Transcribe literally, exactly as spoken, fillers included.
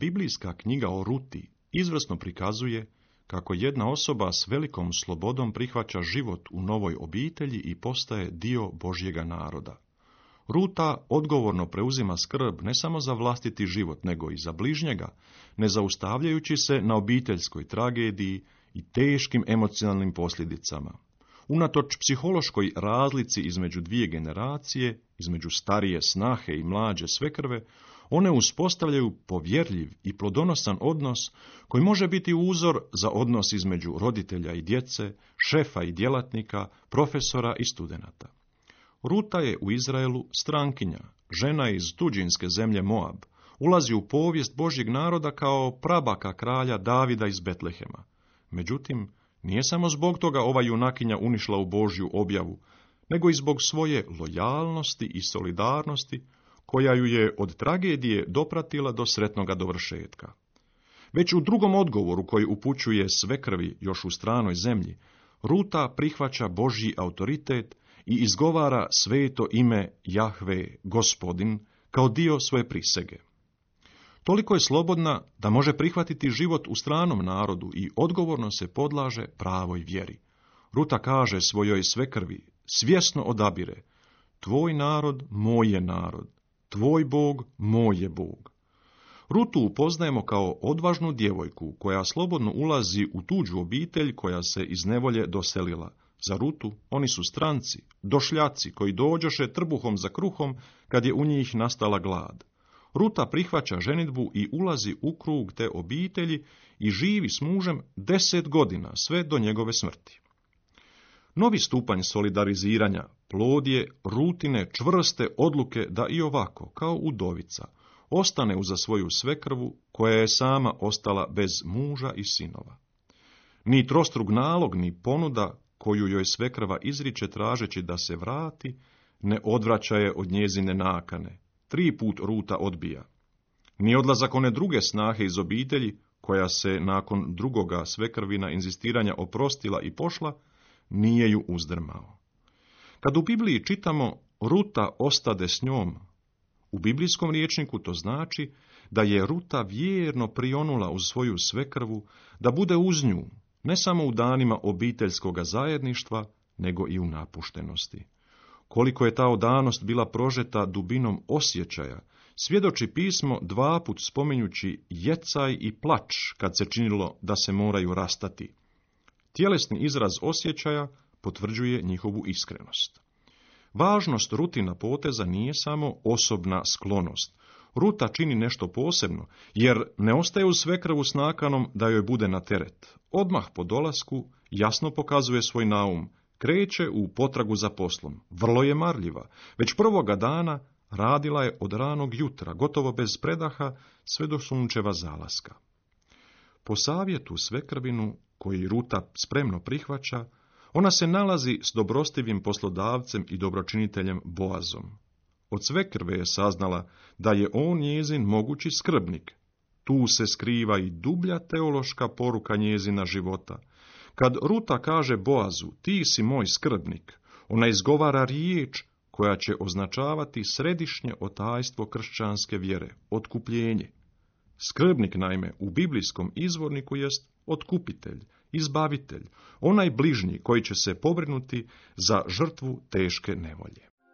biblijska knjiga o Ruti izvrsno prikazuje kako jedna osoba s velikom slobodom prihvaća život u novoj obitelji i postaje dio Božjega naroda. Ruta odgovorno preuzima skrb ne samo za vlastiti život, nego i za bližnjega, ne zaustavljajući se na obiteljskoj tragediji i teškim emocionalnim posljedicama. Unatoč psihološkoj razlici između dvije generacije, između starije snahe i mlađe svekrve, one uspostavljaju povjerljiv i plodonosan odnos koji može biti uzor za odnos između roditelja i djece, šefa i djelatnika, profesora i studenata. Ruta je u Izraelu strankinja, žena iz tuđinske zemlje Moab, ulazi u povijest Božjeg naroda kao prabaka kralja Davida iz Betlehema. Međutim, nije samo zbog toga ova junakinja unišla u Božju objavu, nego i zbog svoje lojalnosti i solidarnosti, koja ju je od tragedije dopratila do sretnoga dovršetka. Već u drugom odgovoru koji upućuje svekrvi još u stranoj zemlji, Ruta prihvaća Božji autoritet i izgovara sveto ime Jahve, Gospodin, kao dio svoje prisege. Toliko je slobodna da može prihvatiti život u stranom narodu i odgovorno se podlaže pravoj vjeri. Ruta kaže svojoj svekrvi, svjesno odabire, tvoj narod, moj je narod, tvoj Bog, moj je Bog. Rutu upoznajemo kao odvažnu djevojku koja slobodno ulazi u tuđu obitelj koja se iz nevolje doselila. Za Rutu oni su stranci, došljaci koji dođoše trbuhom za kruhom kad je u njih nastala glad. Ruta prihvaća ženidbu i ulazi u krug te obitelji i živi s mužem deset godina, sve do njegove smrti. Novi stupanj solidariziranja plod je Rutine čvrste odluke da i ovako, kao udovica, ostane uza svoju svekrvu koja je sama ostala bez muža i sinova. Ni trostrug nalog, ni ponuda koju joj svekrva izriče tražeći da se vrati, ne odvraća je od njezine nakane. Tri put Ruta odbija. Ni odlazak one druge snahe iz obitelji, koja se nakon drugoga svekrvina inzistiranja oprostila i pošla, nije ju uzdrmao. Kad u Bibliji čitamo Ruta ostade s njom, u biblijskom rječniku to znači da je Ruta vjerno prionula uz svoju svekrvu, da bude uz nju, ne samo u danima obiteljskoga zajedništva, nego i u napuštenosti. Koliko je ta odanost bila prožeta dubinom osjećaja, svjedoči pismo dvaput spominjući jecaj i plač kad se činilo da se moraju rastati. Tjelesni izraz osjećaja potvrđuje njihovu iskrenost. Važnost Rutina poteza nije samo osobna sklonost. Ruta čini nešto posebno, jer ne ostaje uz svekrvu s nakanom da joj bude na teret. Odmah po dolasku jasno pokazuje svoj naum, kreće u potragu za poslom. Vrlo je marljiva. Već prvoga dana radila je od ranog jutra, gotovo bez predaha, sve do sunčeva zalaska. Po savjetu svekrvinu, koji Ruta spremno prihvaća, ona se nalazi s dobrostivim poslodavcem i dobročiniteljem Boazom. Od svekrve je saznala da je on njezin mogući skrbnik. Tu se skriva i dublja teološka poruka njezina života. Kad Ruta kaže Boazu, ti si moj skrbnik, ona izgovara riječ koja će označavati središnje otajstvo kršćanske vjere, otkupljenje. Skrbnik, naime, u biblijskom izvorniku jest otkupitelj, izbavitelj, onaj bližnji koji će se pobrinuti za žrtvu teške nevolje.